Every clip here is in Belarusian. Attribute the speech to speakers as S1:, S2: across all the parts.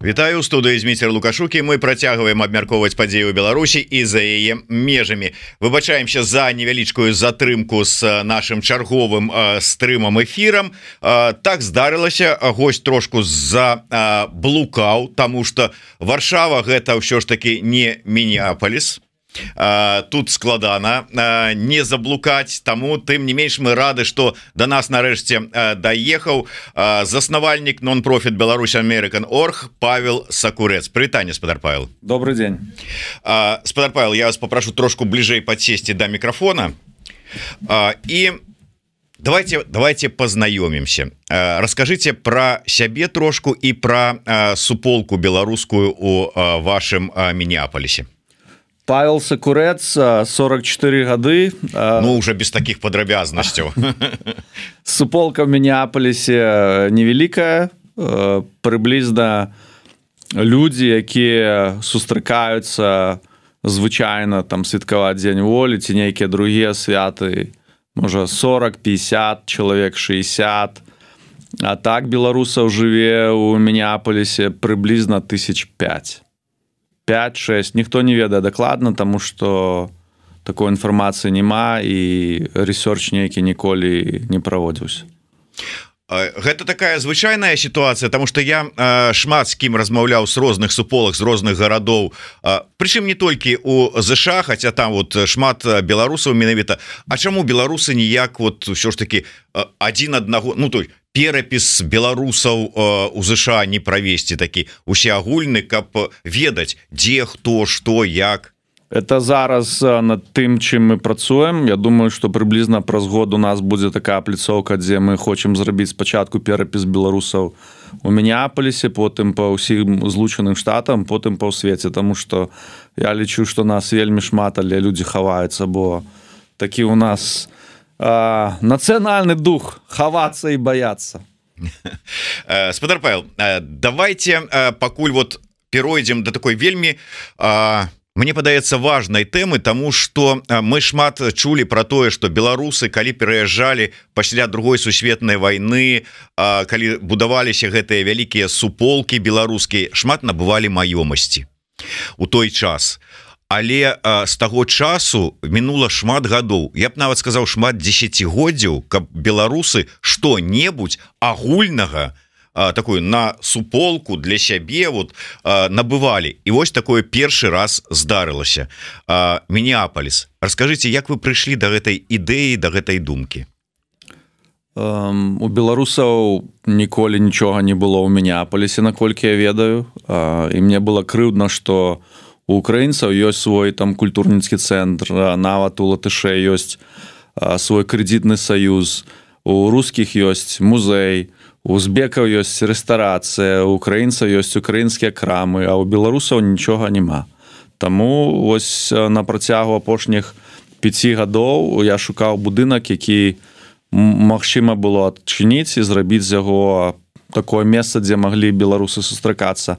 S1: Вітаю, студыі Зміцер Лукашукі. Мы працягваем абмяркоўваць падзеі ў Беларусі і за яе межамі. Выбачаемся за невялічкую затрымку з нашым чарговым стрымам эфірам. Так здарылася, госць трошку заблукаў, таму што Варшава гэта ўсё ж таки не Мінеаполіс. Тут складана не заблукаць, таму тым не менш мы рады, што да нас нарэшце даехаў заснавальнік нон-профіт Беларусь American.org Павел Сакурэц. Прывітанне, спадар Павел.
S2: Добрый день.
S1: Спадар Павел, я вас попрошу трошку бліжэй падсесці да мікрафона. І давайте познаёмимся. Расскажите про сябе трошку і про суполку беларускую у вашым Мінеаполісе.
S2: Павел Сакурэц, 44 гады.
S1: Ну, уже без таких падрабязнасцяў.
S2: Суполка в Мінеаполісе невялікая. Прыблізна людзі, якія сустракаюцца звычайна там святкаваць дзень волі ці нейкія другія святы, можа 40-50 чалавек, 60. А так беларусаў жыве ў Мінеаполісе прыблізна 1005. 5-6, ніхто не ведае дакладна, таму што такой інфармацыі няма і рэсёрч нейкі ніколі не праводзіўся.
S1: Гэта такая звычайная сітуацыя, таму што я шмат з кім размаўляў з розных суполак, з розных гарадоў, прычым не толькі у ЗША, хаця там вот шмат беларусаў менавіта. А чаму беларусы ніяк вот ўсё ж таки адзін аднаго, ну той перапіс беларусаў у ЗША не правесці такі усеагульны, каб ведаць, дзе, хто, што, як?
S2: Это зараз над тым, чым мы працуем. Я думаю, што прыблізна праз год у нас будзе такая пляцоўка, дзе мы хочам зрабіць спачатку перапіс беларусаў у Мінеаполісе, потым па ўсім злучаным штатам, потым па ў свеце, таму што я лічу, што нас вельмі шмат, але людзі хаваюцца, бо такі у нас нацыянальны дух хавацца і баяцца.
S1: Спадар Павел, давайте пакуль вот перайдзем да такой вельмі мне падаецца важнай тэмы, таму што мы шмат чулі пра тое, што беларусы, калі пераязджалі пасля другой сусветнай вайны, калі будаваліся гэтыя вялікія суполкі беларускія, шмат набывалі маёмасці у той час. Але з таго часу мінула шмат гадоў, я б нават сказаў шмат дзесяцігоддзяў, каб беларусы што-небудзь агульнага такую на суполку для сябе вот набывалі. І вось такое першы раз здарылася. Мінеаполіс. Раскажыце, як вы прыйшлі да гэтай ідэі, да гэтай думкі?
S2: У беларусаў ніколі нічога не было ў Мінеаполісе, наколькі я ведаю. І мне было крыўдна, што у украінцаў ёсць свой там культурніцкі цэнтр, нават у латышэй ёсць свой крэдытны саюз, у рускіх ёсць музей, у узбекаў ёсць рэстарацыя, у украінцаў ёсць украінскія крамы, а у беларусаў нічога няма. Таму вось на працягу апошніх 5 гадоў я шукаў будынак, які магчыма было адчыніць і зрабіць з яго такое месца, дзе маглі беларусы сустракацца.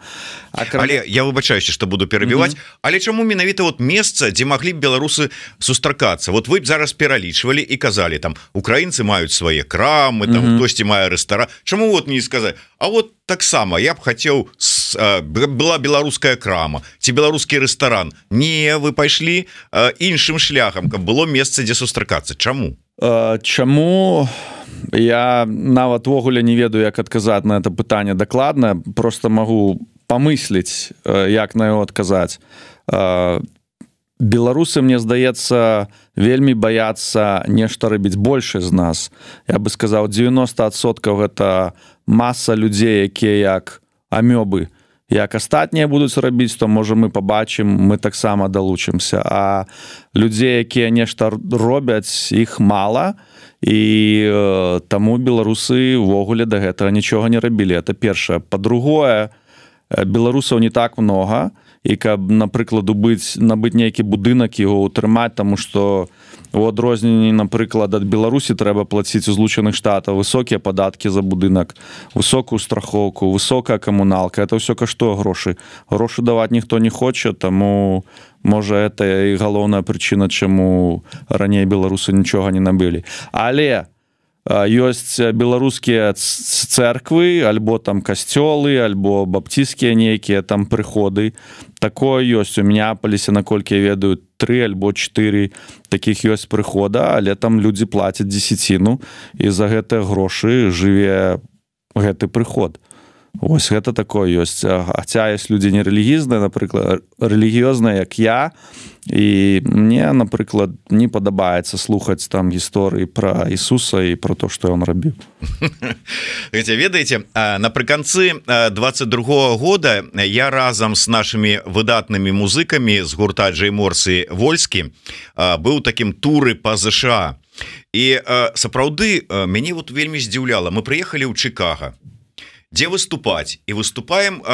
S1: Але я выбачаюся, што буду перабіваць, але чаму менавіта вот месца, дзе маглі б беларусы сустракацца? Вот вы б зараз пералічвалі і казалі, там украінцы маюць свае крамы, там хтосьці мае рэстаран. Чаму вот не сказаць? А вот таксама я б хацеў, была беларуская крама ці беларускі рэстаран. Не, вы пайшлі іншым шляхам, каб было месца, дзе сустракацца. Чаму?
S2: Чаму? Я нават ввогуле не ведаю, як адказаць на это пытанне дакладна, просто магу памысліць, як на яго адказаць. Беларусы, мне здаецца, вельмі баяцца нешта рабіць больше з нас. Я бы сказаў, 90% гэта маса людзей, якія як амёбы. Як астатнія будуць рабіць, то можа мы пабачым, мы таксама далучымся. А людзей, якія нешта робяць, іх мала, і таму беларусы ўвогуле да гэтага нічога не рабілі. Это першае. Па-другое, беларусаў не так много, і каб, напрыклад, набыць нейкі будынак, яго ўтрымаць, таму што у адрозненні, напрыклад, ад Беларусі трэба плаціць у Злучаных Штатах высокія падаткі за будынак, высокую страхоўку, высокая камуналка. Это ўсё каштуе грошы. Грошы даваць ніхто не хоча, таму можа это і галоўная прычына, чаму раней беларусы нічога не набылі. Але ёсць беларускія церквы альбо там касцёлы альбо баптысцкія нейкія там прыходы, такое ёсць у Мінеапалісе, наколькі я ведаю 3 альбо 4 такіх ёсць прыхода, але там людзі плацяць дзесяціну і за гэтыя грошы жыве гэты прыход. Вось гэта такое ёсць. Хаця ёсць людзі нерэлігійныя, напрыклад, рэлігіёзныя, як я, і мне, напрыклад, не падабаецца слухаць там гісторыі пра Ісуса і пра то, што ён рабіў.
S1: Ведаеце, напрыканцы 22-го года я разам з нашымі выдатнымі музыкамі з гурта Джейморс і Вольскі быў такім туры па ЗША. І сапраўды мяне вот вельмі здзіўляла. Мы прыехалі ў Чикаго, дзе выступаць, і выступаем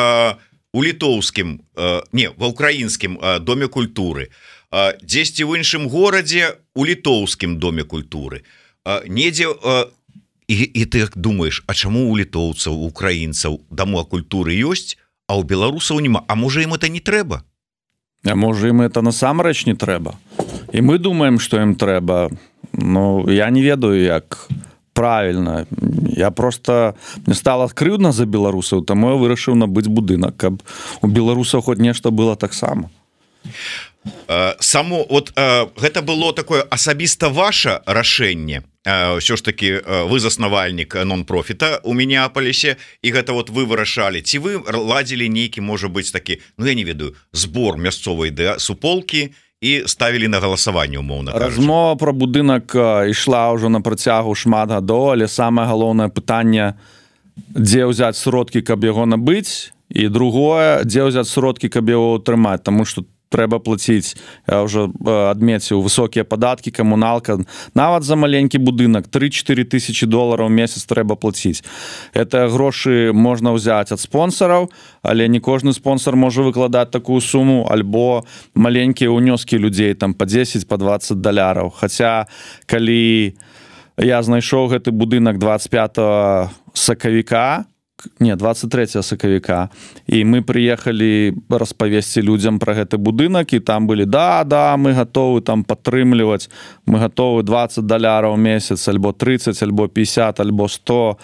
S1: у літоўскім, не, ва ўкраінскім доме культуры, дзесьці ў іншым горадзе у літоўскім доме культуры, недзе, і ты думаеш, а чаму у літоўцаў, у украінцаў дома культуры ёсць, а ў беларусаў няма? А можа ім это не трэба?
S2: А можа ім это насамрэч не трэба? І мы думаем, што ім трэба. Ну, я не ведаю, як правильно. Я просто... Мне стало крыўдна за беларусаў, таму я вырашыў набыць будынак, каб у беларусаў хоць нешта было таксама.
S1: Само, вот гэта было такое асабіста ваше рашэнне. Ўсё ж таки вы заснавальнік нон-профіта у Мінеапалісе, і гэта вот вы вырашалі. Ці вы ладзілі нейкі, можа быць, такі, ну я не ведаю, збор мясцовай суполкі, і ставілі на галасаванне, умоўна кажучы.
S2: Размова пра будынак ішла ўжо на працягу шмат гадоў, але самае галоўнае пытанне, дзе ўзяць сродкі, каб яго набыць, і другое, дзе ўзяць сродкі, каб яго ўтрымаць, таму што трэба плаціць, я ўжо адмеціў, высокія падаткі, камуналка, нават за маленькі будынак 3-4 тысячи долараў у месяц трэба плаціць. Гэтыя грошы можна ўзяць ад спонсараў, але не кожны спонсор можа выкладаць такую суму, альбо маленькія ўнёскі людзей там па 10, па 20 даляраў. Хаця, калі я знайшоў гэты будынак 25 сакавіка, не, 23 сакавіка, і мы прыехалі распавесці людзям пра гэты будынак, і там былі, да, мы гатовы там падтрымліваць, мы гатовы 20 даляраў у месяц, альбо 30, альбо 50, альбо 100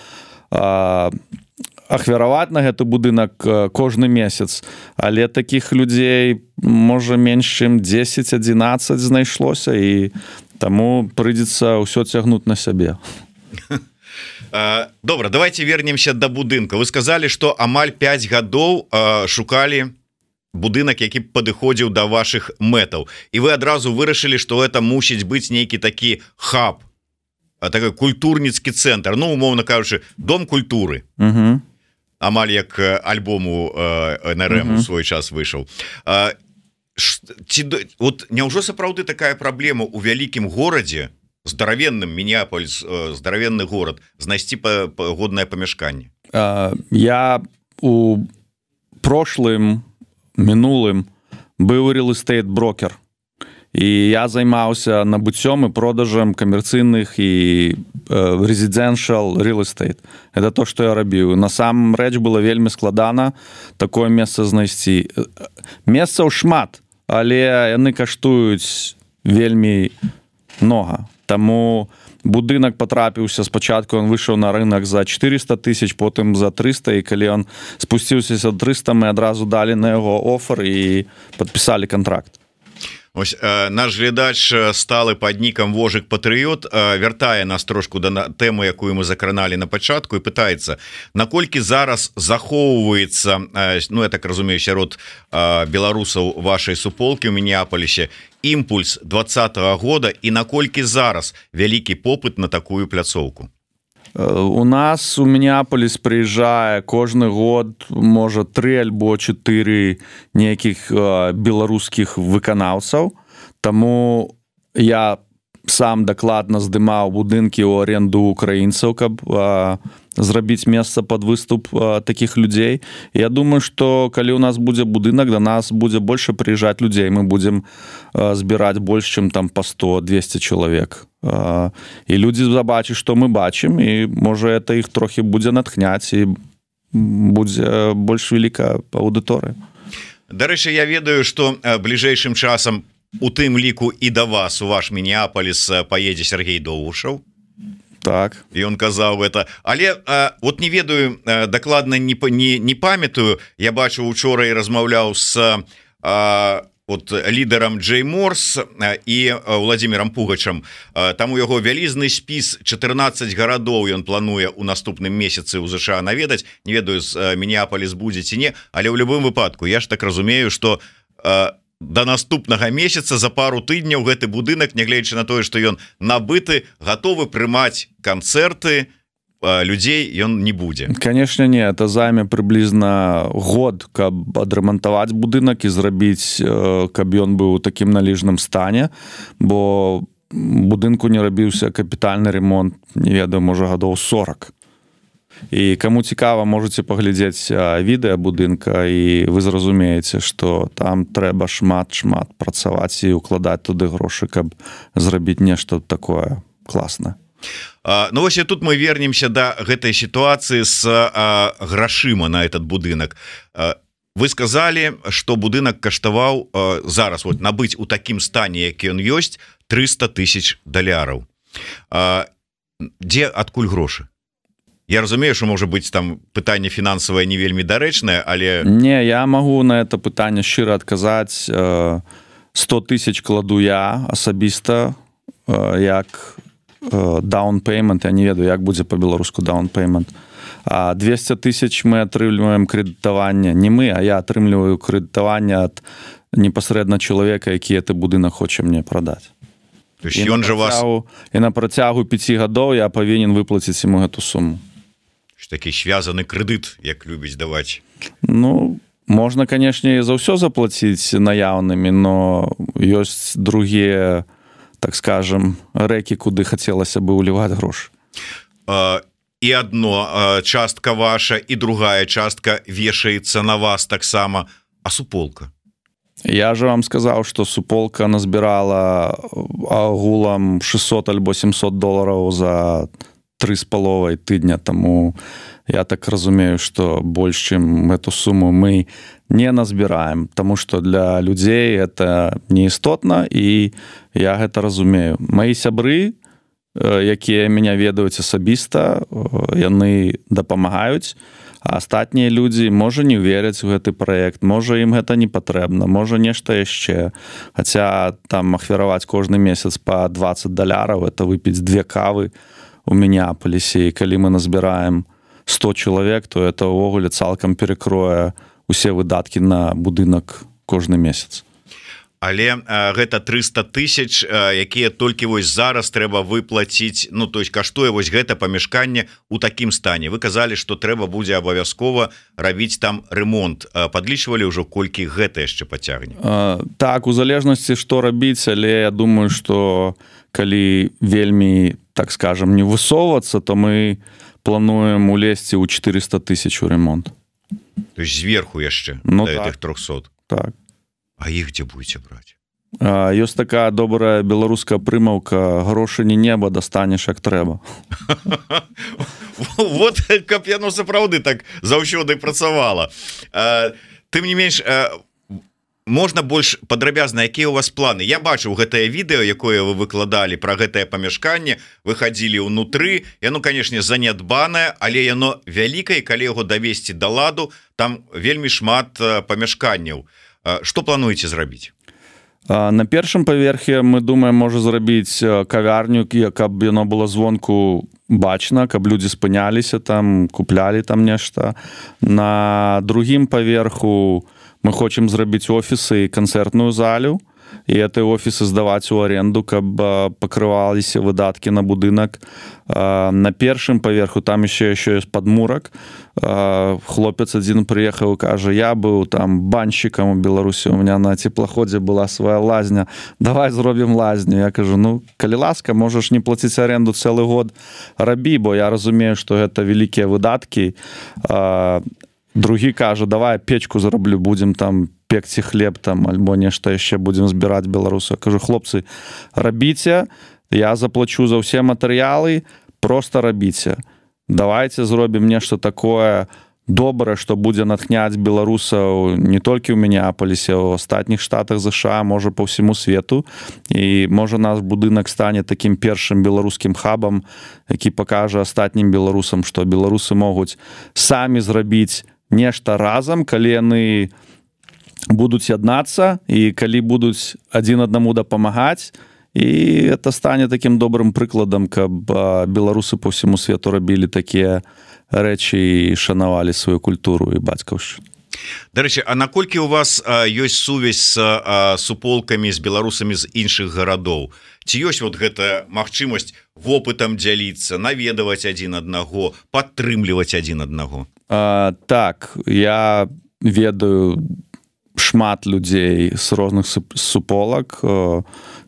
S2: ахвяраваць на гэты будынак кожны месяц. Але такіх людзей, можа, менш чым 10-11 знайшлося, і таму прыйдзецца ўсё цягнуць на сябе.
S1: Добра, давайте вернемся до будынка. Вы сказали, что амаль 5 гадоў шукали будынак, які падыходзіў до ваших мэтаў, і вы адразу вырашылі, что это мусіць быць нейкі такі хаб, такой культурніцкі цэнтр, ну, умоўна кажучы, дом культуры. Амаль як альбому НРМ у свой час выйшаў. Вот няўжо сапраўды такая праблема у вялікім горадзе, здаравенным, Мінеапаліс, здаравенны горад, знайсці годнае памяшканне?
S2: Я у мінулым быў real-estate-брокер, і я займаўся набыццём і продажам камерцыйных і residential real estate. Это то, што я рабіў. Насамрэч было вельмі складана такое месца знайсці. Месцаў шмат, але яны каштуюць вельмі многа. Таму будынак патрапіўся спачатку, ён выйшаў на рынок за 400 тысяч, потым за 300, і калі ён спусціўся за 300, мы адразу далі на яго офер і падпісалі контракт.
S1: Ось наш глядач сталы пад нікам Вожык Патрыёт вяртае нас трошку да тэмы, якую мы закраналі на пачатку, і пытаецца, наколькі зараз захоўваецца, ну я так разумею, сярод беларусаў вашай суполкі ў Мінеапалісе імпульс 20-го года, і наколькі зараз вялікі попыт на такую пляцоўку?
S2: У нас у Мінеапаліс прыязджае кожны год, можа, 3 альбо 4 нейкіх беларускіх выканаўцаў, таму я сам дакладна здымаў будынкі ў аренду украінцаў, каб зрабіць месца пад выступ такіх людзей. Я думаю, што калі у нас будзе будынак, да нас будзе больше прыязджаць людзей, мы будзем збіраць больш, чым там па 100-200 чалавек. І людзі забачаць, што мы бачым, і можа это іх трохі будзе натхняць, і будзе больш вялікая аўдыторыя.
S1: Дарэчы, я ведаю, што бліжэйшым часам у тым ліку і да вас у ваш Мінеапаліс паедзе Сергей Доўгушаў.
S2: Так.
S1: І он казаў это. Але вот не ведаю, дакладна не памятаю. Я бачыў учора і размаўляў з вот лідарам Джей Морс і Владимиром Пугачам. Там у яго вялізны спіс 14 гарадоў ён плануе ў наступным месяцы ў ЗША наведаць. Не ведаю, з Мінеаполіс будзе ці не, але ў любым выпадку я ж так разумею, што до наступнага месяца за пару тыдняў гэты будынак, нягледзячы на тое, што ён набыты, гатовы прымаць канцэрты людзей, ён не будзе.
S2: Конечно, не, это займе прыблізна год, каб адрамантаваць будынак і зрабіць, каб ён быў у такім належным стане, бо будынку не рабіўся капітальны ремонт, не ведаю, можа гадоў 40. І каму цікава, можаце паглядзець відэа будынка, і вы зразумееце, што там трэба шмат працаваць і укладаць туды грошы, каб зрабіць нешта такое класнае.
S1: Ну вось і тут мы вернемся да гэтай сітуацыі з грашыма на этот будынак. Вы сказалі, што будынак каштаваў зараз вот набыць у такім стане, які ён ёсць, $300,000. Дзе адкуль грошы? Я разумею, што можа быць там пытанне фінансавае не вельмі дарэчнае, але...
S2: Не, я магу на это пытанне шчыра адказаць. 100 000 кладу я асабіста, як down payment, я не ведаю, як будзе по-беларуску down payment. А 200 000 мы атрымліваем крэдытаванне. Не мы, а я атрымліваю крэдытаванне ад непасрэдна чалавека, які гэты будынак хоча мне прадаць.
S1: То есть ён жа вас...
S2: І на працягу 5 гадоў я павінен выплаціць яму гэту суму.
S1: Такі связаны крэдыт, як любіць даваць.
S2: Ну, можна, канешне, за ўсё заплаціць наяўнымі, но ёсць другія, так скажем, рэкі, куды хацелася бы ўліваць грошы.
S1: І адно частка ваша, і другая частка вешаецца на вас таксама. А суполка?
S2: Я же вам сказаў, што суполка назбірала агулам $600 альбо $700 за 3,5 тыдня, таму я так разумею, што больш, чым эту суму мы не назбіраем, таму што для людзей это неістотна, і я гэта разумею. Мои сябры, якія мяне ведаюць асабіста, яны дапамагаюць, а астатнія людзі, можа, не веряць у гэты праект, можа, ім гэта не патрэбна, можа, нешта яшчэ. Хаця там ахвяраваць кожны месяц па $20, это выпіць 2 кавы у Мінеаполісе, і калі мы назбіраем 100 чалавек, то это ўвогуле цалкам перакрое усе выдаткі на будынак кожны месяц.
S1: Але гэта 300 000, якія толькі вось зараз трэба выплаціць, ну, то есть каштуе вось гэта памяшканне ў такім стане. Вы казалі, што трэба будзе абавязкова рабіць там ремонт. Падлічвалі ўжо, колькі гэта яшчэ пацягне?
S2: Так, у залежнасці, што рабіць, але я думаю, што калі вельмі, так скажем, не высоўвацца, то мы плануем улезці ў 400 000 у ремонт.
S1: То есть зверху яшчэ,
S2: ну,
S1: да,
S2: так,
S1: гэтых 300?
S2: Так.
S1: А іх дзе будзеце браць?
S2: Ёсць такая добрая беларуская прымаўка: грошы не неба, дастанеш як трэба.
S1: Вот, каб яно сапраўды так заўсёды працавала. Тым не менш, можна больш падрабязна, якія ў вас планы? Я бачыў гэтае відэо, якое вы выкладалі пра гэтае памяшканне, вы хадзілі ўнутры, яно, канешне, занядбанае, але яно вялікае, калі яго давесці да ладу, там вельмі шмат памяшканняў. Што плануеце зрабіць?
S2: На першым паверхе мы думаем, можа зрабіць кавярню, каб яно было звонку бачна, каб людзі спыняліся там, куплялі там нешта. На другім паверху мы хочам зрабіць офісы і канцэртную залю, і этой офісы здаваць у аренду, каб пакрываліся выдаткі на будынак. На першым паверху там еще ёсць падмурак. Хлопец адзін прыехаў і кажа: я быў там банщикам у Беларусі, у меня на теплаходзе была свая лазня, давай зробім лазню. Я кажу: ну, калі ласка, можаш не плаціць аренду цэлы год, рабі, бо я разумею, што гэта вялікія выдаткі. Другі кажа: давай печку зараблю, будзем там пекці хлеб там, альбо нешта яшчэ будзем збіраць беларусаў. Кажу: хлопцы, рабіце, я заплачу за ўсе матэрыялы, просто рабіце. Давайте зробім нешта такое добра, што будзе натхняць беларусаў не толькі ў Мінеапалісе, у астатніх штатах ЗША, можа па ўсяму свету, і можа наш будынак стане такім першым беларускім хабам, які пакажа астатнім беларусам, што беларусы могуць самі зрабіць нешта разам, калі яны будуць яднацца і калі будуць адзін аднаму дапамагаць, і это стане такім добрым прыкладам, каб беларусы па ўсяму свету рабілі такія рэчы і шанавалі сваю культуру і бацькаўшчыну.
S1: Дарэчы, а наколькі у вас ёсць сувязь з суполкамі, з беларусамі з іншых гарадоў? Ці ёсць вот гэта магчымасць вопытам дзяліцца, наведаваць адзін аднаго, падтрымліваць адзін аднаго?
S2: Так, я ведаю шмат людзей з розных суполак.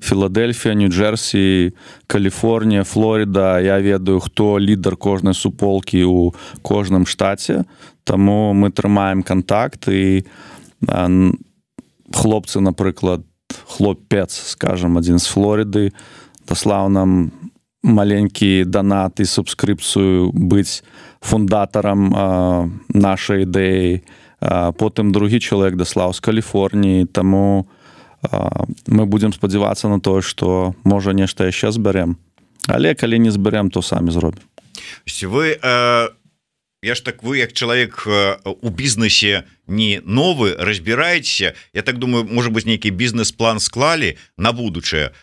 S2: Філадельфія, Нью-Джерсі, Каліфорнія, Флоріда. Я ведаю, хто лідар кожнай суполкі ў кожным штаце. Таму мы трымаем кантакт, і хлопцы, напрыклад, хлопец, скажам, адзін з Флоріды, даслаў нам маленькі данат і субскрыпцыю быць фундатарам нашай ідэі. Потым другі чалавек даслаў з Каліфорніі, таму мы будзем спадзявацца на тое, што можа нешта яшчэ збярэм. Але калі не збярэм, то самі зробім.
S1: Вы, вы як чалавек у бізнесе не новы, разбіраецеся, я так думаю, можа быць, нейкі бізнес-план склалі на будучае,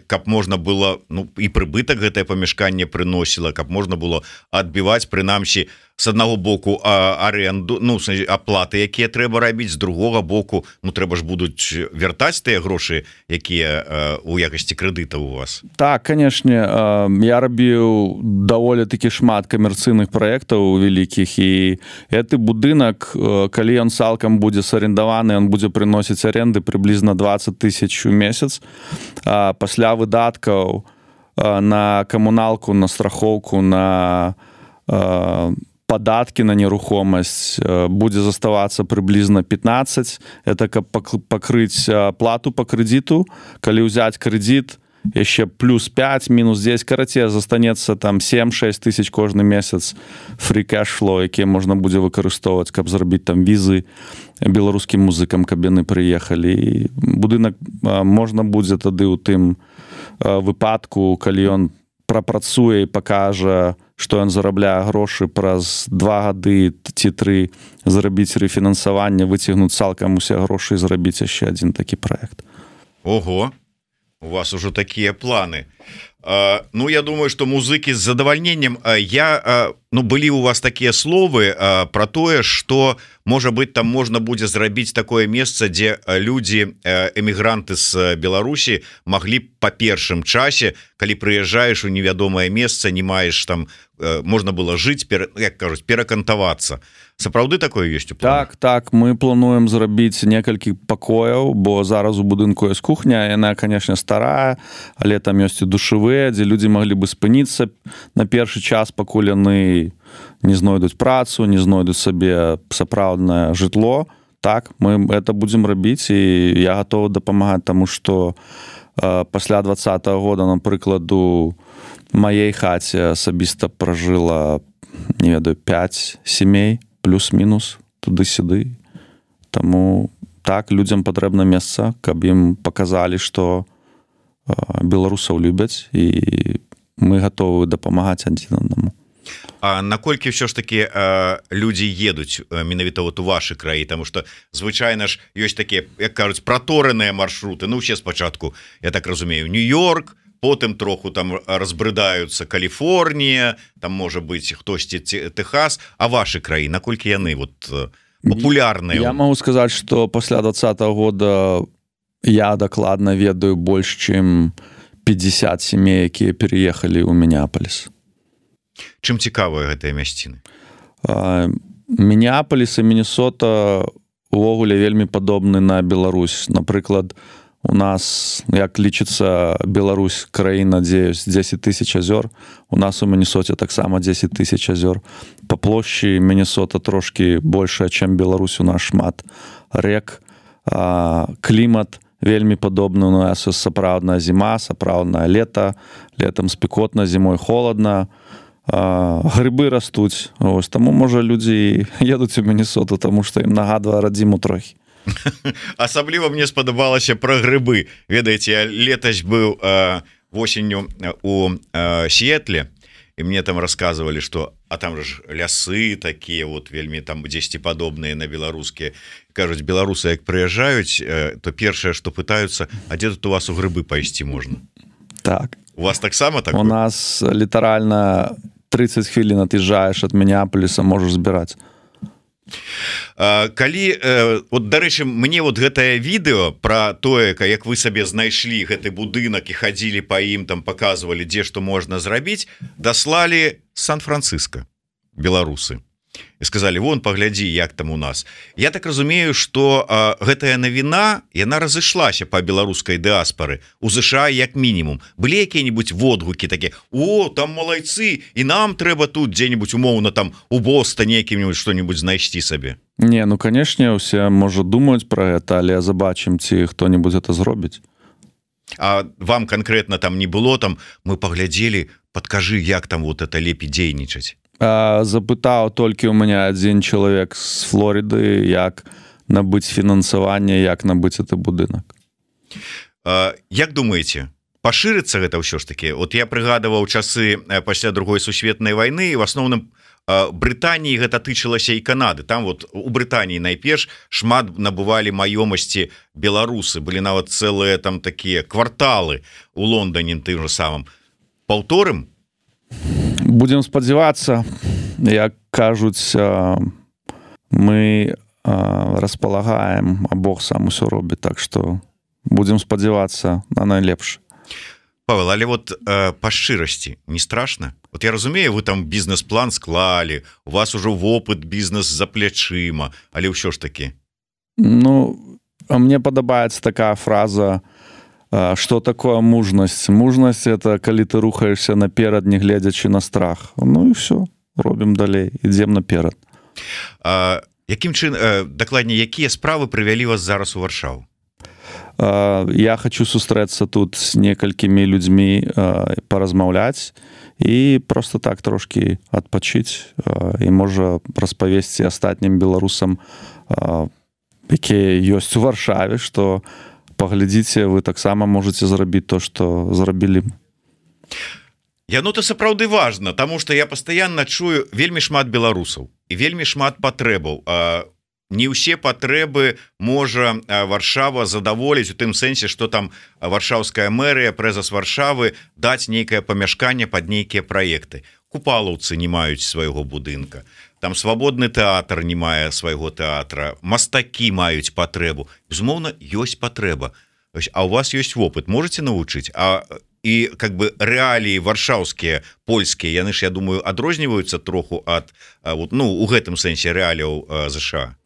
S1: каб можна было, і прыбытак гэтае памяшканне прыносіла, каб можна было адбіваць, прынамсі, з аднаго боку аренду, аплаты, якія трэба рабіць, з другога боку, трэба ж будуць вяртаць тыя грошы, якія у якасці крэдыта у вас.
S2: Так, канешне, я рабіў даволі такі шмат камерцыйных праектаў вялікіх, і гэты будынак, калі ён цалкам будзе сарендаваны, ён будзе прыносіць аренды прыблізна 20 000 у месяц. Пасля выдаткаў на камуналку, на страхоўку, на падаткі на нерухомасць будзе заставацца прыблізна 15. Это каб пакрыць плату па крэдыту. Калі ўзяць крэдыт, яшчэ плюс 5, мінус 10, карацей, застанецца там 7-6 тысяч кожны месяц free cash flow, якія можна будзе выкарыстоўваць, каб зрабіць там візы беларускім музыкам, каб яны прыехалі. І будынак можна будзе тады ў тым выпадку, калі ён прапрацуе і пакажа, што ён зарабляе грошы, праз 2 гады ці 3 зрабіць рэфінансаванне, выцягнуць цалкам усе грошы і зрабіць яшчэ адзін такі праект.
S1: Ого, у вас ужо такія планы. Я думаю, што музыкі з задавальненнем. Былі у вас такія словы пра тое, што, можа быць, там можна будзе зрабіць такое месца, дзе людзі, эмігранты з Беларусі маглі па першым часе, калі прыязджаеш у невядомае месца, не маеш там, можна было жыць, як кажуць, перакантавацца. Сапраўды такое ёсць у планах?
S2: Так, мы плануем зрабіць некалькі пакояў, бо зараз у будынку ёсць кухня, яна, канешне, старая, але там ёсць і душавыя, дзе людзі маглі бы спыніцца на першы час, пакуль яны не знойдуць працу, не знойдуць сабе сапраўднае жытло. Так, мы это будзем рабіць, і я гатовы дапамагаць, таму што пасля 2020 года, напрыклад, у маей хаце асабіста пражыла, не ведаю, 5 сямей, плюс-мінус, туды-сюды. Таму так, людзям патрэбна месца, каб ім паказалі, што беларусаў любяць, і мы гатовы дапамагаць адзін аднаму.
S1: А наколькі ўсё ж такі людзі едуць менавіта у вашы краі, таму што звычайна ж ёсць такія, як кажуць, пратораныя маршруты. Усе спачатку, я так разумею, Нью-Йорк, потым троху там разбрыдаюцца Каліфорнія, там можа быць хтосьці Тэхас, а вашы краі, наколькі яны папулярныя?
S2: Я магу сказаць, што пасля 2020 года я дакладна ведаю больш, чым 50 сямей, якія переехалі ў Мінеапаліс.
S1: Чым цікавыя гэтыя мясціны?
S2: Мінеапаліс і Міннесота увогуле вельмі падобны на Беларусь. Напрыклад, у нас, як лічыцца Беларусь, краіна, дзе ёсць 10 000 азёр, у нас у Міннесоце таксама 10 000 азёр. Па плошчы Міннесота трошкі большая, чым Беларусь, у нас шмат рэк, клімат вельмі падобны, у нас сапраўдная зіма, сапраўднае лета, летам спекотна, зімой холодна. грыбы растуць. Ось, таму, можа, людзі едуць у Міннесоту, таму што ім нагадвае радзіму трохі.
S1: Асабліва мне спадабалася пра грыбы. Ведаеце, я летась быў восенню у Сіэтле, і мне там рассказывалі, што а там ж лясы такія вот вельмі там дзесьці падобныя на беларускія. Кажуць, беларусы як прыязджаюць, то першае, што пытаюцца, а дзе тут у вас у грыбы пайсці можна?
S2: Так.
S1: У вас таксама так?
S2: У нас літаральна 30 хвілін ад'язджаеш ад Мінеаполіса, можаш збіраць.
S1: Калі вот, дарэчы, мне вот гэтае відэо пра тое, як вы сабе знайшлі гэты будынак і хадзілі па ім, там паказвалі, дзе што можна зрабіць, даслалі Сан-Франциско беларусы і сказалі, вон, паглядзі, як там у нас. Я так разумею, што гэтая навіна, яна разышлася па беларускай дыаспары у ЗША як мінімум. Былі якія-небудзь водгукі такія: о, там малайцы, і нам трэба тут дзе-небудзь умоўна там у Бостане якім-небудзь што-небудзь знайсці сабе?
S2: Не, ну, канешне, усе, можа, думаюць пра гэта, але забачым, ці хто-небудзь гэта зробіць.
S1: А вам канкрэтна там не было, там мы паглядзелі, падкажы, як там вот это лепей дзейнічаць?
S2: Запытаў толькі ў мяне адзін чалавек з Флорыды, як набыць фінансаванне, як набыць гэты будынак.
S1: Як думаеце, пашырыцца гэта ўсё ж такі? Вот я прыгадываў часы пасля другой сусветнай вайны, і в асноўным Брытаніі гэта тычылася і Канады. Там вот у Брытаніі найперш шмат набывалі маёмасці беларусы, былі нават цэлыя там такія кварталы у Лондоне тым же самым. Паўторым?
S2: Будзем спадзявацца. Як кажуць, мы распалагаем, а Бог сам усё робіць, так што будзем спадзявацца на найлепш.
S1: Павел, але вот па шчырасці не страшна? Вот я разумею, вы там бізнес-план склалі, у вас ужо вопыт бізнес за плячыма, але ўсё ж такі.
S2: Ну, мне падабаецца такая фраза: что такое мужнасць? Мужнасць — это калі ты рухаешься наперад, не гледзячы на страх. Ну і все, робім далей, ідзем наперад.
S1: Якім чынам, дакладней, якія справы прывялі вас зараз у Варшаву?
S2: Я хочу сустрэцца тут з некалькімі людзьмі, паразмаўляць і просто так трошки адпачыць і можа распавесці астатнім беларусам, якія ёсць у Варшаве, што паглядзіце, вы таксама можете зрабіць то, што зрабілі.
S1: Яно-то сапраўды важна, таму што я пастаянна чую вельмі шмат беларусаў і вельмі шмат патрэбаў. Не ўсе патрэбы можа Варшава задаволіць у тым сэнсе, што там варшаўская мэрыя, прэзас Варшавы даць нейкае памяшканне пад нейкія праекты. Купалаўцы не маюць свайго будынка. Там свабодны тэатр не мае свайго тэатра, мастакі маюць патрэбу. Безумоўна, ёсць патрэба. А у вас ёсць вопыт, можаце навучыць? І как бы рэаліі варшаўскія, польскія, яны ж, я думаю, адрозніваюцца троху ад, ну, у гэтым сэнсе рэаліяў ЗША.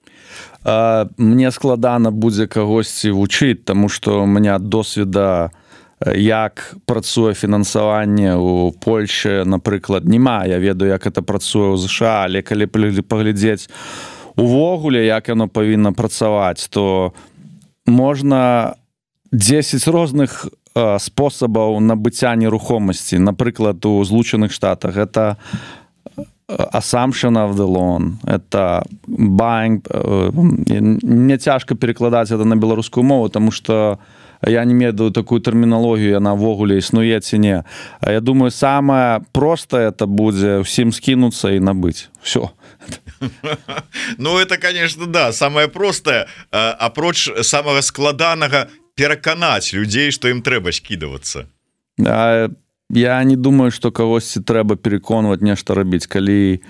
S2: Мне складана будзе кагосьці вучыць, таму што у мяне досведа, як працуе фінансаванне ў Польшчы, напрыклад, няма. Я ведаю, як это працуе ў ЗША, але калі паглядзець увогуле, як яно павінна працаваць, то можна 10 розных спосабаў набыцця нерухомасці. Напрыклад, у Злучаных Штатах это assumption of the loan, это buying. Мне цяжка перакладаць это на беларускую мову, таму што я не ведаю такую тэрміналогію, яна ввогуле існуе ці не. А я думаю, самае простае это будзе ўсім скінуцца і набыць. Всё.
S1: Ну, это, конечно, да, самое простое, апроч самага складанага пераканаць людзей, што ім трэба скідавацца.
S2: Я не думаю, што кагосьці трэба пераконваць нешта рабіць, калі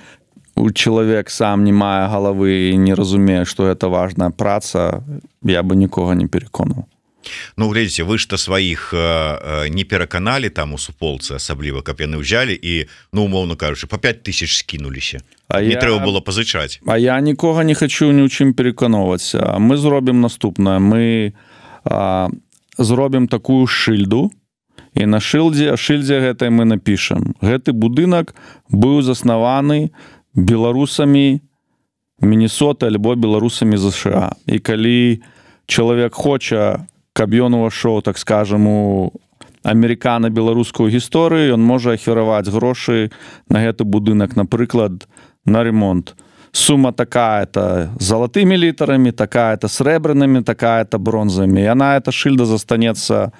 S2: чалавек сам не мае галавы і не разумее, што гэта важная праца, я бы нікога не пераконваў.
S1: Ну, глядзіце, вы ж-то сваіх не пераканалі там у суполцы, асабліва, каб яны ўзялі і, ну, умоўно кажучы, па 5000 скінуліся. Не трэба было пазычаць.
S2: А я нікога не хачу ні ў чым пераканаваць. Мы зробім наступнае. Мы зробім такую шыльду, і на шыльдзе гэтай мы напішам: гэты будынак быў заснаваны беларусамі Міннесоты альбо беларусамі ЗША. І калі чалавек хоча, каб ён увайшоў, так скажам, у амерыкана-беларускую гісторыю, ён можа ахвяраваць грошы на гэты будынак, напрыклад, на ремонт. Сума такая-то залатымі літарамі, такая-то срэбранымі, такая-то бронзамі. Яна, эта шыльда застанецца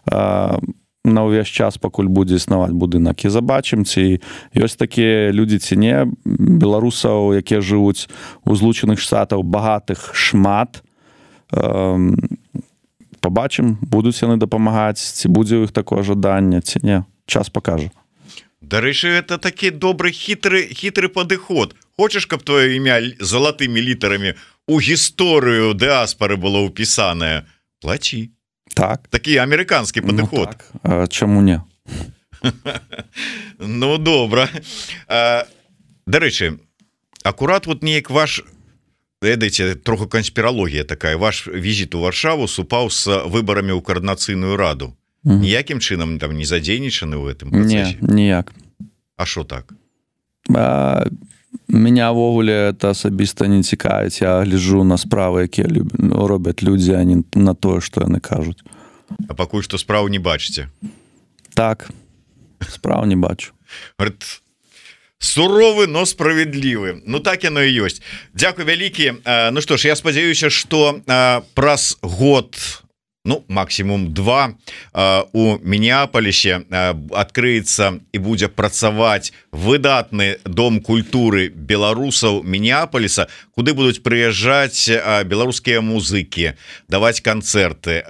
S2: на ўвесь час, пакуль будзе існаваць будынак. І забачым, ці ёсць такія людзі ці не, беларусаў, якія жывуць у Злучаных Штатах, багатых шмат. Пабачым, будуць яны дапамагаць, ці будзе ў іх такое жаданне, ці не. Час пакажа.
S1: Дарэчы, это такі добры хітры падыход. Хочаш, каб твоё імя залатымі літарамі у гісторыю дыаспары было ўпісанае? Плачі.
S2: Так.
S1: Такі амерыканскі падыход.
S2: Так. Чаму не?
S1: Ну, добра. Дарэчы, акурат вот неяк ваш, ведаеце, троху канспіралогія такая, ваш візіт у Варшаву супаў з выбарамі ў коардынацыйную раду. Ніякім чынам там не задзейнічаны ў гэтым працэсе?
S2: Не, ніяк.
S1: А што так?
S2: Меня ввогуле это асабіста не цікавіць. Я гляджу на справы, якія робяць людзі, а не на тое, што яны кажуць.
S1: А пакуль што справу не бачыце?
S2: Так, справу не бачу.
S1: Говорит, суровы, но справедлівы. Ну так яно і ёсць. Дзякуй вялікі. Ну што ж, я спадзяюся, што праз год, ну, максимум 2 у Мінеаполісе адкрыецца і будзе працаваць выдатны дом культуры беларусаў Мінеаполіса, куды будуць прыязджаць беларускія музыкі, даваць канцэрты,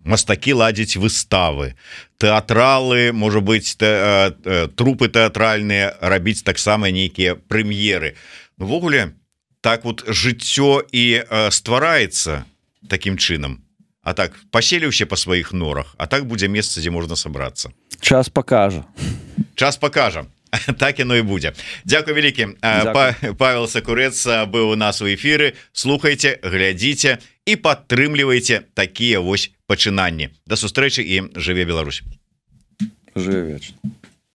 S1: мастакі ладзіць выставы, тэатралы, можа быць, трупы тэатральныя, рабіць таксама нейкія прэм'еры. Увогуле, так вот жыццё і ствараецца такім чынам. А так, паселіўся па сваіх норах, а так будзе месца, дзе можна сабрацца.
S2: Час пакажа.
S1: Час пакажа. Так яно і будзе. Дзякуй вялікі. Павел Сакурэц быў у нас у эфіры. Слухайце, глядзіце і падтрымлівайце такія вось пачынанні. Да сустрэчы і жыве Беларусь.
S2: Жыве вечна.